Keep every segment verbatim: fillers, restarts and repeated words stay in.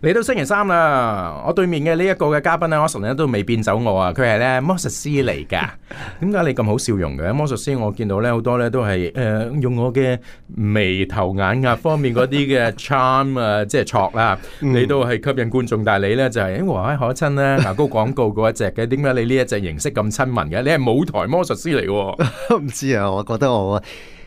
嚟到星期三啦，我對面嘅呢一個嘅嘉賓咧，我成日都未變走我啊！佢係咧魔術師嚟噶。點解你咁好笑容嘅？魔術師我見到咧好多咧都係誒、呃、用我嘅眉頭眼額方面嗰啲嘅 charm 啊，即係戳啦，你都係吸引觀眾。但係你咧就係、是、誒和藹可親咧，牙膏廣告嗰一隻嘅。點解你呢一隻形式咁親民嘅？你係舞台魔術師嚟嘅？唔知啊，我覺得我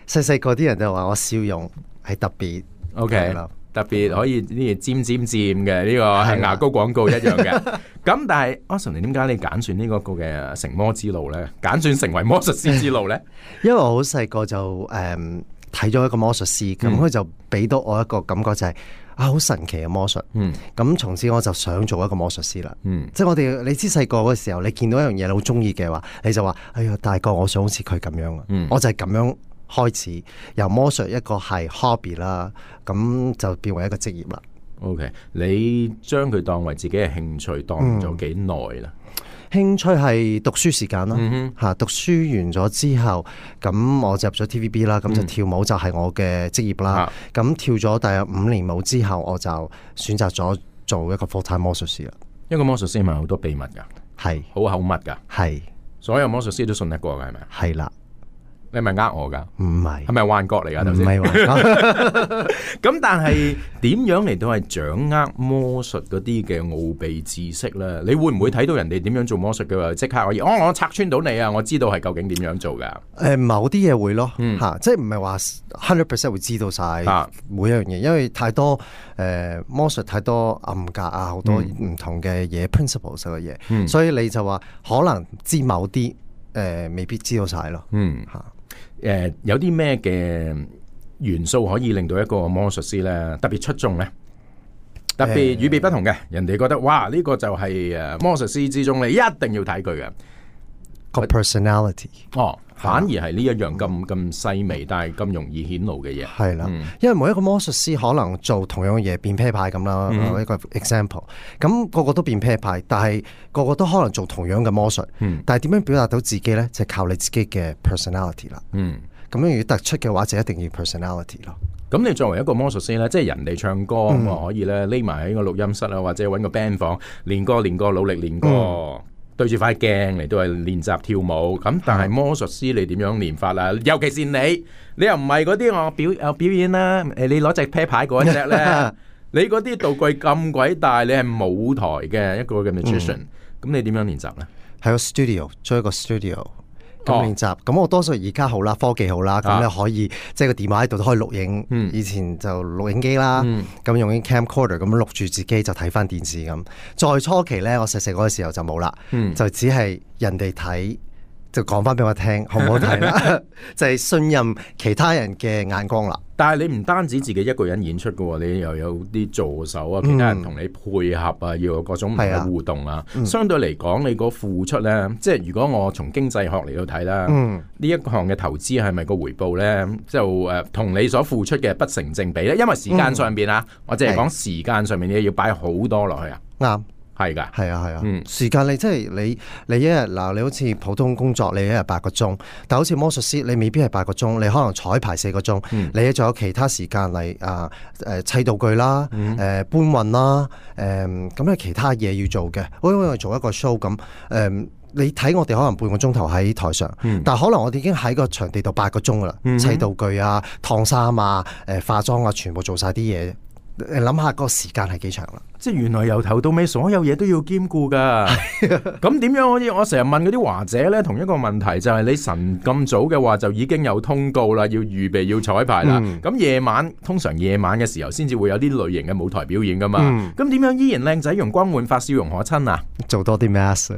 細細個啲人就話我笑容係特別 OK 特別可以呢啲尖尖尖嘅呢個係牙膏廣告一樣嘅。咁但係阿神，你點解你揀選呢個個嘅成魔之路咧？揀選成為魔術師之路咧？因為我好細個就誒睇咗一個魔術師，咁佢、嗯、就俾到我一個感覺就係、是、啊好神奇嘅魔術。嗯，咁從此我就想做一個魔術師啦。嗯，即係我哋你知細個嗰時候，你見到一樣嘢你好中意嘅話，你就話哎呀大個我想好似佢咁樣啊。嗯，我就係咁樣。開始由魔術一個係 hobby 啦，咁就變為一個職業啦。OK， 你將佢當為自己嘅興趣，當咗幾耐啦？興趣係讀書時間啦，嚇、嗯、哼讀書完咗之後，咁我就入咗 T V B 啦，咁就跳舞就係我嘅職業啦。咁、嗯、跳咗大約五年舞之後，我就選擇咗做一個 full time 魔術師啦。一個魔術師係咪好多秘密㗎？係好是口密㗎？係是所有魔術師都信得過㗎？係咪？係啦。你係咪呃我噶？唔係是，係咪幻覺嚟噶？頭先唔係幻覺。咁但係點樣嚟到係掌握魔術嗰啲嘅奧秘知識咧？你會唔會睇到人哋點樣做魔術嘅話，即刻可以？哦，我拆穿到你啊！我知道係究竟點樣做噶？誒、呃，某啲嘢會咯，吓、嗯啊，即係唔係話 hundred percent 會知道晒每一樣嘢，因為太多誒、呃、魔術太多暗格啊，好多唔同嘅嘢、嗯、principles 嘅嘢，嗯、所以你就話可能知某啲誒、呃，未必知道晒咯。嗯，吓。誒、呃，有啲咩嘅元素可以令到一個魔術師咧特別出眾咧？特別與別不同嘅，呃、人哋覺得哇，呢、這個就係誒魔術師之中你一定要睇佢嘅個 personality。哦，反而係呢一樣咁咁細微，但係咁容易顯露嘅嘢。係啦，嗯、因為每一個魔術師可能做同樣嘅嘢，變啤牌咁啦，嗯、一個 example。咁個個都變啤牌，但係個個都可能做同樣嘅魔術。嗯、但係點樣表達到自己咧？就係、靠你自己嘅 personality 啦。嗯，咁樣如果突出嘅話，就一定要 personality 咯。咁你作為一個魔術師咧，即係人哋唱歌，嗯、我可以咧匿埋喺個錄音室啊，或者揾個 band 房練歌練歌，努力練歌。嗯對住塊鏡嚟都係練習跳舞，咁但係魔術師你點樣練法啊？尤其是你，你又唔係嗰啲我表有表演啦，誒你攞隻啤牌嗰隻咧，你嗰啲道具咁鬼大，你係舞台嘅一個嘅 magician，咁、嗯、你點樣練習咧？喺個 studio， 做一個 studio。咁練習，咁、哦、我多數而家好啦，科技好啦，咁你可以、啊、即係個電話喺度都可以錄影。嗯、以前就錄影機啦，咁、嗯、用啲 camcorder 咁錄住自己就睇翻電視咁。再初期咧，我細細嗰個時候就冇啦，嗯、就只係人哋睇就講翻俾我聽，好唔好睇啦？就係信任其他人嘅眼光啦。但係你唔單止自己一個人演出嘅，你又有啲助手啊，其他人同你配合啊，要有各種唔同嘅互動啊。嗯、相對嚟講，你個付出咧，即係如果我從經濟學嚟到睇啦，呢、嗯、一項嘅投資係咪個回報咧，就誒同、呃、你所付出嘅不成正比咧？因為時間上邊啊，我淨係講時間上面你要擺好多落去啊。啱。係噶，係啊，係啊，嗯，時間你即係你，你一日嗱，你好似普通工作，你一日八個鐘，但好似魔術師，你未必係八個鐘，你可能彩排四個鐘，嗯、你仲有其他時間嚟啊，誒、呃、砌道具啦，誒、嗯呃、搬運啦，誒咁有其他嘢要做嘅，好似我做一個 show 咁，誒、呃、你睇我哋可能半個鐘頭喺台上，嗯、但係可能我哋已經喺個場地度八個鐘噶啦，嗯、砌道具啊、燙衫啊、誒、呃、化妝啊，全部做晒啲嘢。你諗下個時間係幾長啦？即係原來由頭到尾所有嘢都要兼顧噶。咁點樣可以？我成日問嗰啲華姐咧，同一個問題就係你晨咁早嘅話就已經有通告啦，要預備要彩排啦。咁夜、嗯、晚通常夜晚嘅時候先至會有啲類型嘅舞台表演噶嘛。咁點、嗯、樣依然靚仔容光煥發笑容可親啊？做多啲 mask。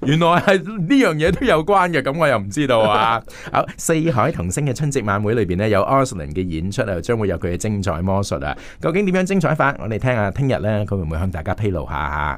原來係呢樣嘢都有關嘅，咁我又唔知道啊。好，四海童星嘅春節晚會裏邊呢，有 Arslan 嘅演出啊，將會有佢嘅精彩魔術啊。究竟點樣精彩法？我哋聽下聽日咧，佢會唔會向大家披露下？